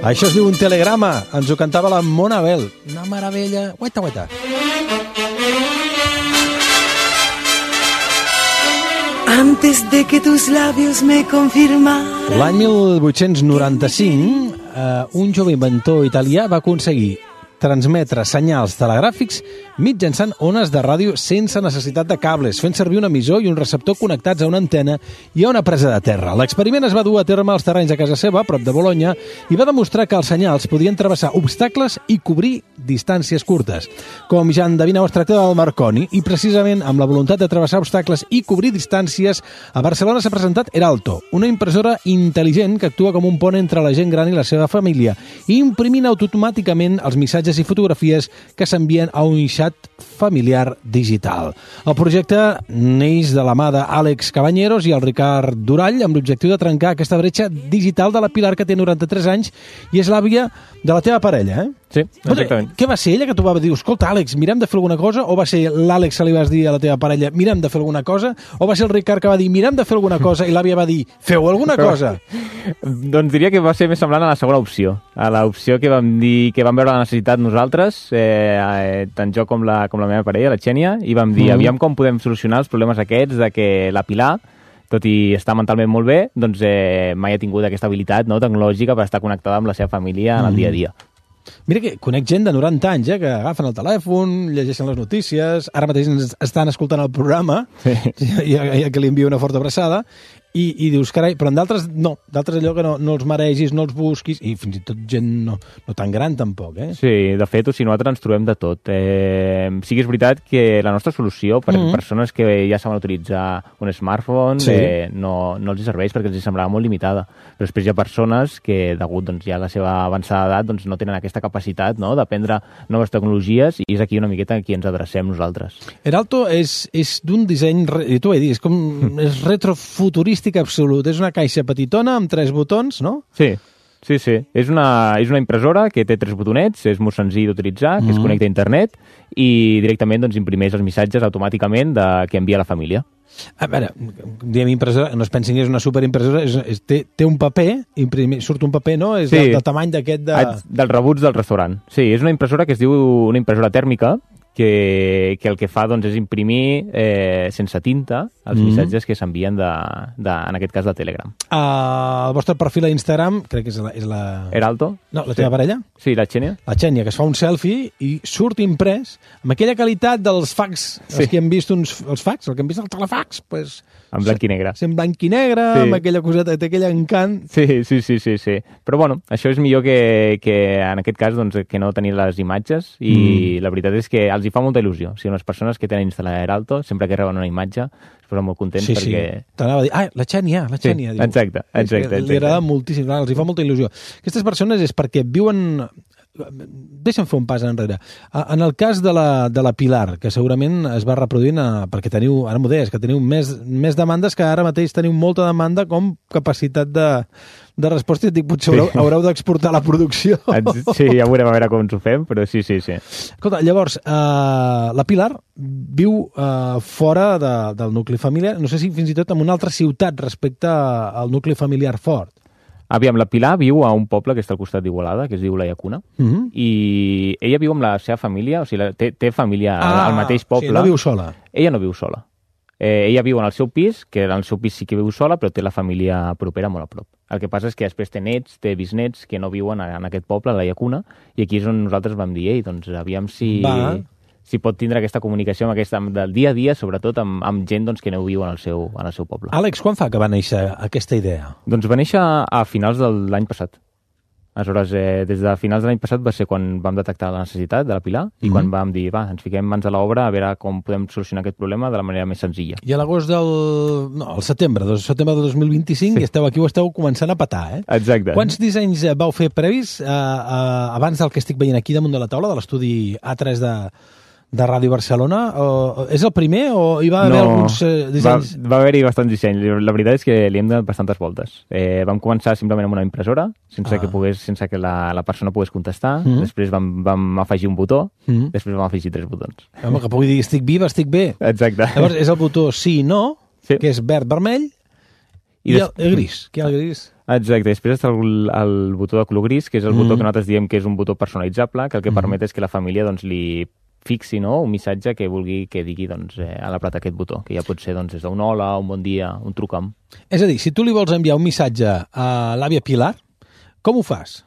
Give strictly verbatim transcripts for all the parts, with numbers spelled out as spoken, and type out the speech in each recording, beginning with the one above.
Això es diu un telegrama. Ens ho cantava la Mona Bell. Una meravella. Guaita, guaita. Antes de que tus labios me confirmaran. L'any mil vuit-cents noranta-cinc, eh, un jove inventor italià va aconseguir transmetre senyals telegràfics mitjançant ones de ràdio sense necessitat de cables, fent servir un emissor i un receptor connectats a una antena i a una presa de terra. L'experiment es va dur a terme als terrenys de casa seva, a prop de Bologna, i va demostrar que els senyals podien travessar obstacles i cobrir distàncies curtes. Com ja endevineu, es tracta del Marconi, i precisament amb la voluntat de travessar obstacles i cobrir distàncies, a Barcelona s'ha presentat Heralto, una impressora intel·ligent que actua com un pont entre la gent gran i la seva família, imprimint automàticament els missatges i fotografies que s'envien a un xat familiar digital. El projecte neix de la mà d'Àlex Cabanyeros i el Ricard Durall amb l'objectiu de trencar aquesta bretxa digital de la Pilar, que té noranta-tres anys i és l'àvia de la teva parella, eh? Sí, exactament. Què va ser ella que t'ho va dir? Escolta, Àlex, mirem de fer alguna cosa? O va ser l'Àlex que li vas dir a la teva parella, mirem de fer alguna cosa? O va ser el Ricard que va dir, mirem de fer alguna cosa, i l'àvia va dir, feu alguna cosa? Doncs diria que va ser més semblant a la segona opció. A l'opció que vam dir, que vam veure la necessitat nosaltres, eh, eh, tant jo com la, com la meva parella, la Xènia, i vam dir, mm. aviam com podem solucionar els problemes aquests de que la Pilar, tot i estar mentalment molt bé, doncs eh, mai ha tingut aquesta habilitat, no, tecnològica per estar connectada amb la seva família en el dia a dia. Mira que conec gent de noranta anys, eh, que agafen el telèfon, llegeixen les notícies, ara mateix ens estan escoltant el programa, sí. i, i que li envio una forta abraçada, i, i dius, carai, però en d'altres no, d'altres allò que no, no els maregis, no els busquis, i fins i tot gent no, no tan gran tampoc, eh? Sí, de fet, o sigui, nosaltres ens trobem de tot. Eh, sí que és veritat que la nostra solució per mm-hmm. persones que ja saben utilitzar un smartphone sí. eh, no, no els hi serveix perquè els hi semblava molt limitada. Però després hi ha persones que, degut doncs, ja a la seva avançada edat, doncs, no tenen aquesta capacitat, no?, d'aprendre noves tecnologies, i és aquí una miqueta a qui ens adrecem nosaltres. Heralto és, és d'un disseny, i tu ho he dit, és com és retrofuturista absolut. És una caixa petitona amb tres botons, no? Sí, sí, sí. És una, és una impressora que té tres botonets, és molt senzill d'utilitzar, que mm. es connecta a internet i directament doncs, imprimeix els missatges automàticament de, que envia la família. A veure, diem impressora, no es pensin que és una superimpressora, és, és, té, té un paper, imprimi, surt un paper, no? És sí. del, del tamany d'aquest de... Dels rebuts del restaurant. Sí, és una impressora que es diu una impressora tèrmica, que, que el que fa doncs, és imprimir eh, sense tinta els mm. missatges que s'envien, de, de, en aquest cas, de Telegram. Uh, el vostre perfil a Instagram, crec que és la... És la... Heralto. No, la teva sí. parella? Sí, la Xènia. La Xènia, que es fa un selfie i surt imprès amb aquella qualitat dels fax, sí. els que hem vist uns, els fax, el que hem vist al telefax, pues, en blanc i negre. Sí, en blanc i negre, sí. amb aquella coseta, té aquell encant. Sí, sí, sí, sí, sí. Però bueno, això és millor que, que en aquest cas, doncs, que no tenir les imatges, i mm. la veritat és que els hi fa molta il·lusió. O sigui, les persones que tenen instal·lat Heralto, sempre que reben una imatge, es posen molt contents sí, perquè... Sí, t'anava a dir, ah, la Xènia, la Xènia. Sí, diu. exacte, exacte. exacte. Li agrada moltíssim, clar, els hi fa molta il·lusió. Aquestes persones és perquè viuen... Deixa'm fer un pas enrere. En el cas de la, de la Pilar, que segurament es va reproduint a, perquè teniu, ara m'ho deies, que teniu més, més demandes, que ara mateix teniu molta demanda com capacitat de, de resposta, i dic, potser haureu, sí. haureu d'exportar la producció. Sí, ja veurem a veure com ens ho fem, però sí, sí, sí. Escolta, llavors, uh, la Pilar viu uh, fora de, del nucli familiar, no sé si fins i tot en una altra ciutat respecte al nucli familiar fort. Aviam, la Pilar viu a un poble que està al costat d'Igualada, que es diu La Llacuna, uh-huh. i ella viu amb la seva família, o sigui, té, té família ah, al mateix poble. Sí, no viu sola. Ella no viu sola. Eh, ella viu en el seu pis, que en el seu pis sí que viu sola, però té la família propera molt a prop. El que passa és que després té nets, té bisnets que no viuen en aquest poble, La Llacuna, i aquí és on nosaltres vam dir, ei, doncs aviam si... Va. si pot tindre aquesta comunicació amb aquesta, del dia a dia, sobretot amb, amb gent doncs, que no viu en el, seu, en el seu poble. Àlex, quan fa que va néixer aquesta idea? Doncs va néixer a finals de l'any passat. Aleshores, eh, des de finals de l'any passat va ser quan vam detectar la necessitat de la Pilar i mm-hmm. quan vam dir, va, ens fiquem mans a l'obra a veure com podem solucionar aquest problema de la manera més senzilla. I a l'agost del... no, al setembre, del setembre del dos mil vint-i-cinc, sí. i esteu aquí, ho esteu començant a petar, eh? Exacte. Quants dissenys vau fer previs eh, eh, abans del que estic veient aquí damunt de la taula, de l'estudi A tres de... de Ràdio Barcelona? O, és el primer o hi va haver no, alguns eh, dissenys? Va, va haver-hi bastants dissenys. La veritat és que li hem donat bastantes voltes. Eh, vam començar simplement amb una impressora, sense ah. que pogués, sense que la, la persona pogués contestar. Mm-hmm. Després vam, vam afegir un botó, mm-hmm. després vam afegir tres botons. Home, que pugui dir estic viva, estic bé. Exacte. Llavors és el botó sí, no, sí. que és verd, vermell, i, I el, el gris. Què hi ha el gris? Exacte, després està el, el botó de color gris, que és el mm. botó que nosaltres diem que és un botó personalitzable, que el que mm. permet és que la família doncs, li fixi, no?, un missatge que vulgui que digui doncs, eh, a l'apretar aquest botó, que ja pot ser doncs, des d'un hola, un bon dia, un truca'm. És a dir, si tu li vols enviar un missatge a l'àvia Pilar, com ho fas?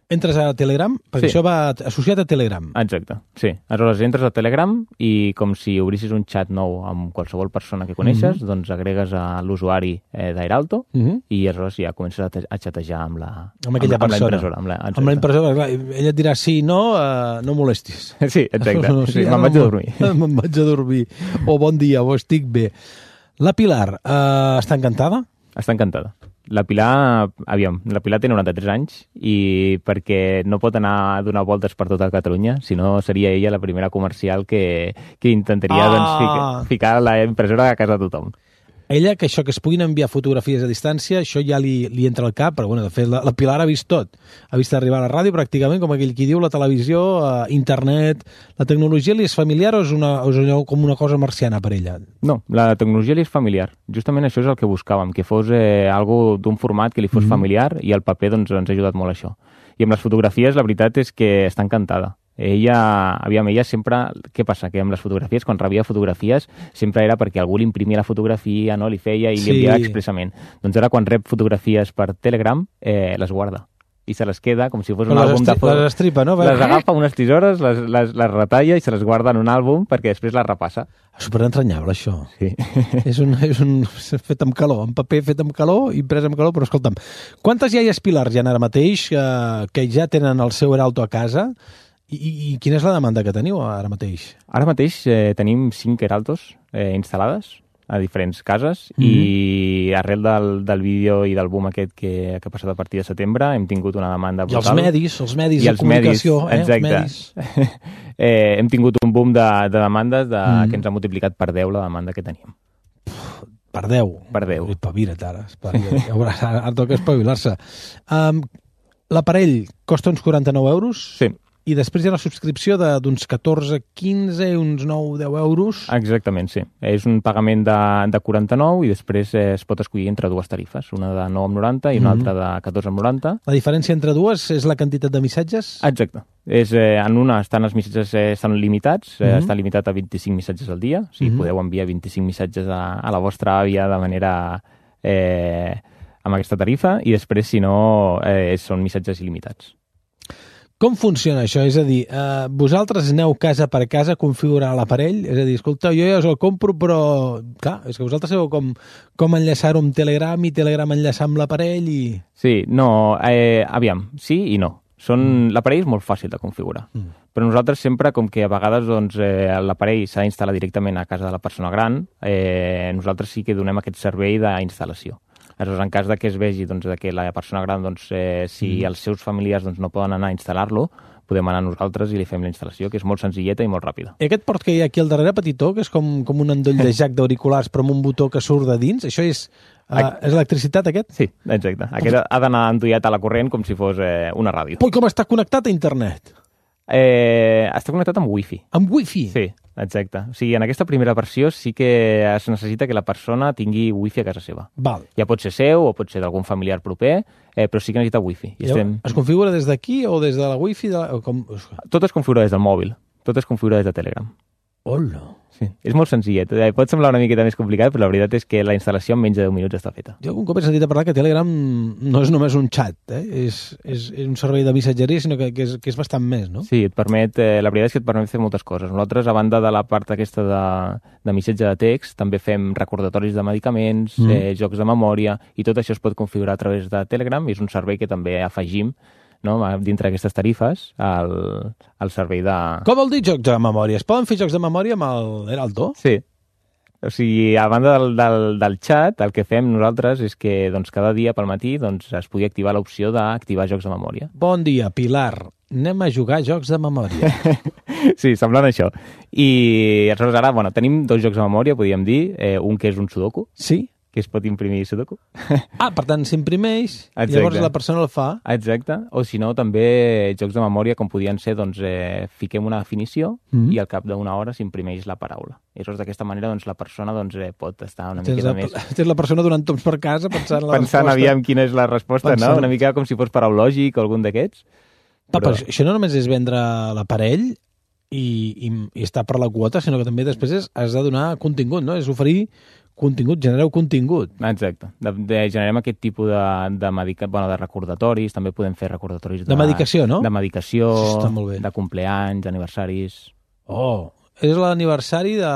Entres a Telegram? Perquè sí. Això va associat a Telegram. Exacte, sí. Aleshores entres a Telegram i com si obrissis un xat nou amb qualsevol persona que coneixes, mm-hmm. doncs agregues a l'usuari eh, d'Airalto mm-hmm. i aleshores ja comences a, a xatejar amb la, amb aquella amb, persona. Amb la impressora. Amb la, amb la impressora, clar. Ella et dirà sí, no, uh, no molestis. Sí, exacte. No, sí, sí, me'n vaig a dormir. Me'n vaig a dormir. O bon dia, o estic bé. La Pilar uh, està encantada? Està encantada. La Pilar, aviam, la Pilar té noranta-tres anys i perquè no pot anar a donar voltes per tota Catalunya, si no seria ella la primera comercial que, que intentaria ah! doncs, ficar, ficar la impressora a casa de tothom. Ella, que això, que es puguin enviar fotografies a distància, això ja li, li entra al cap, però bueno, de fet la, la Pilar ha vist tot. Ha vist arribar a la ràdio pràcticament, com aquell qui diu, la televisió, eh, internet... La tecnologia li és familiar o és, una, o és com una cosa marciana per ella? No, la tecnologia li és familiar. Justament això és el que buscàvem, que fos eh, algo d'un format que li fos mm-hmm. familiar i el paper doncs, ens ha ajudat molt a això. I amb les fotografies la veritat és que està encantada. Ella, aviam, ella sempre... Què passa? Que amb les fotografies, quan rebia fotografies, sempre era perquè algú li imprimia la fotografia, no? Li feia i sí. li enviava expressament. Doncs ara, quan rep fotografies per Telegram, eh, les guarda. I se les queda com si fos un les àlbum de fotos. Les estripa, no? Les agafa unes tisores, les, les, les retalla i se les guarda en un àlbum perquè després les repassa. Superentranyable, això. Sí. és, un, és un fet amb calor, en paper fet amb calor, imprès amb calor, però escolta'm, quantes iaies Pilars hi ha ara mateix eh, que ja tenen el seu Airalto a casa? I, i, I quina és la demanda que teniu ara mateix? Ara mateix eh, tenim cinc Airaltos eh, instal·lades a diferents cases mm-hmm. i arrel del, del vídeo i del boom aquest que, que ha passat a partir de setembre hem tingut una demanda brutal. I els medis, els medis I de comunicació. Medis, eh, exacte. Els medis. eh, hem tingut un boom de, de demandes de, mm. que ens ha multiplicat per deu la demanda que teníem. Per deu? Per deu. Espavira't ara, espavira't. Ara, ara toca espavilar-se. Um, l'aparell costa uns quaranta-nou euros? Sí. I després hi ha la subscripció d'uns catorze, quinze, uns nou, deu euros. Exactament, sí. És un pagament de, de quaranta-nou i després eh, es pot escollir entre dues tarifes, una de nou coma noranta i una mm-hmm. altra de catorze coma noranta. La diferència entre dues és la quantitat de missatges? Exacte. És, eh, en una estan els missatges eh, estan limitats, eh, mm-hmm. està limitat a vint-i-cinc missatges al dia, o sigui, mm-hmm. podeu enviar vint-i-cinc missatges a, a la vostra àvia de manera... Eh, amb aquesta tarifa i després, si no, eh, són missatges il·limitats. Com funciona això? És a dir, eh, vosaltres aneu casa per casa a configurar l'aparell? És a dir, escolta, jo ja us el compro, però, clar, és que vosaltres sabeu com, com enllaçar-ho amb Telegram i Telegram enllaçar amb l'aparell i... Sí, no, eh, aviam, sí i no. Són... Mm. L'aparell és molt fàcil de configurar, mm. però nosaltres sempre, com que a vegades doncs, eh, l'aparell s'ha d'instal·lar directament a casa de la persona gran, eh, nosaltres sí que donem aquest servei d'instal·lació. Aleshores, en cas de que es vegi doncs, de que la persona gran, doncs, eh, si mm. els seus familiars doncs, no poden anar a instal·lar-lo, podem anar nosaltres i li fem la instal·lació, que és molt senzilleta i molt ràpida. I aquest port que hi ha aquí al darrere, petitó, que és com, com un endoll de jack d'auriculars però amb un botó que surt de dins, això és, uh, és electricitat, aquest? Sí, exacte. Aquest ha d'anar endollat a la corrent com si fos eh, una ràdio. Ui, com està connectat a internet? Eh, està connectat amb wifi. Amb wifi? Sí, exacte. O sigui, en aquesta primera versió sí que es necessita que la persona tingui wifi a casa seva. Val. Ja pot ser seu o pot ser d'algun familiar proper, eh, però sí que necessita wifi. I estem... Es configura des d'aquí o des de la wifi? De la... Com... Tot es configura des del mòbil. Tot es configura des de Telegram. Hola. Sí, és molt senzillet. Pot semblar una miqueta més complicat, però la veritat és que la instal·lació en menys de deu minuts està feta. Jo un cop he sentit a parlar que Telegram no és només un xat, eh? és, és, és un servei de missatgeria, sinó que, que, és, que és bastant més, no? Sí, et permet, eh, la veritat és que et permet fer moltes coses. Nosaltres, a banda de la part aquesta de, de missatge de text, també fem recordatoris de medicaments, mm. eh, jocs de memòria, i tot això es pot configurar a través de Telegram, i és un servei que també afegim, no, dintre d'aquestes tarifes al, al servei de... Com vol dir jocs de memòria? Es poden fer jocs de memòria amb el Airalto? Sí. O sigui, a banda del, del, del xat, el que fem nosaltres és que doncs, cada dia pel matí doncs, es pugui activar l'opció d'activar jocs de memòria. Bon dia, Pilar. Anem a jugar jocs de memòria. Sí, semblant això. I aleshores ara, bueno, tenim dos jocs de memòria, podríem dir. Eh, un que és un sudoku. Sí? que es pot imprimir Sudoku. Ah, per tant, s'imprimeix, Exacte. llavors la persona el fa. Exacte. O si no, també jocs de memòria, com podien ser, doncs, eh, fiquem una definició Mm. i al cap d'una hora s'imprimeix la paraula. I llavors, d'aquesta manera, doncs, la persona doncs, eh, pot estar una Tens miqueta la, més... tens la persona donant toms per casa pensant en la Pensant, resposta. aviam, quina és la resposta, Pensant. no? Una mica com si fos paraulògic o algun d'aquests. Ah, però això no només és vendre l'aparell i, i, i estar per la quota, sinó que també després és, has de donar contingut, no? És oferir contingut, genereu contingut. Exacte. De, de, generem aquest tipus de, de, medica, bueno, de recordatoris, també podem fer recordatoris de... De medicació, no? De medicació, Això està molt bé. de compleanys, d'aniversaris... Oh, és l'aniversari de...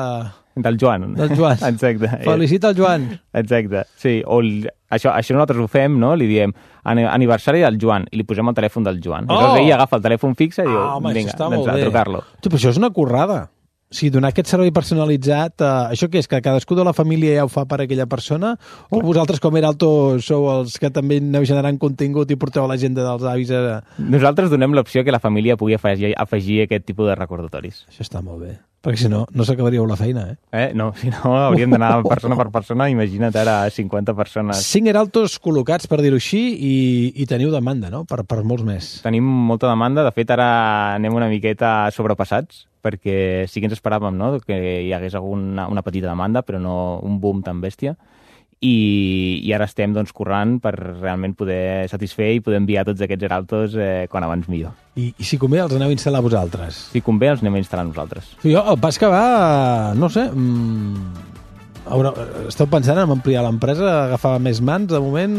Del Joan. Del Joan. Exacte. Felicita el Joan. Exacte, sí. O el, això, això nosaltres ho fem, no? Li diem "Ani- aniversari del Joan i li posem el telèfon del Joan. Oh! Llavors ell agafa el telèfon fixe i diu, Ah, home, vinga, això està doncs molt a bé. trucar-lo. Tu, però això és una currada. O sigui, donar aquest servei personalitzat, eh, això què és? Que cadascú de la família ja ho fa per a aquella persona? O vosaltres, com era alto, sou els que també aneu generant contingut i porteu a l'agenda dels avis? A... Nosaltres donem l'opció que la família pugui afegir, afegir aquest tipus de recordatoris. Això està molt bé. Perquè si no, no s'acabaríeu la feina, eh? Eh? No, si no, hauríem d'anar persona per persona. Imagina't ara cinquanta persones. Cinc heraltos col·locats, per dir-ho així, i, i teniu demanda, no?, per, per molts més. Tenim molta demanda. De fet, ara anem una miqueta sobrepassats, perquè sí que ens esperàvem, no?, que hi hagués alguna, una petita demanda, però no un boom tan bèstia. I, i ara estem doncs, corrent per realment poder satisfer i poder enviar tots aquests heraltos eh, quan abans millor. I, I si convé, els aneu a instal·lar vosaltres. Si convé, els anem a instal·lar nosaltres. Jo, el pas que va, no sé... Mm, haurà, esteu pensant en ampliar l'empresa, agafar més mans? De moment,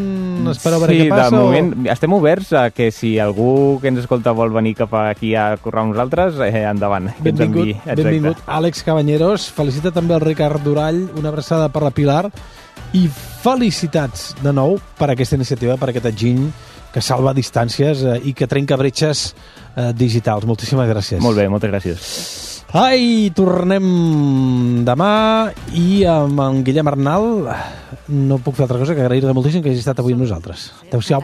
espereu a veure sí, què passa? de moment o... estem oberts a que si algú que ens escolta vol venir cap aquí a currar amb nosaltres, eh, endavant. Que ens Benvingut, enviï. Exacte. benvingut. Àlex Cabanyeros, felicita també el Ricard Durall, una abraçada per la Pilar, i felicitats de nou per aquesta iniciativa, per aquest enginy que salva distàncies eh, i que trenca bretxes eh, digitals. Moltíssimes gràcies. Molt bé, moltes gràcies. Ai, tornem demà i amb en Guillem Arnal no puc fer altra cosa que agrair-te moltíssim que hagi estat avui amb nosaltres. Adéu-siau.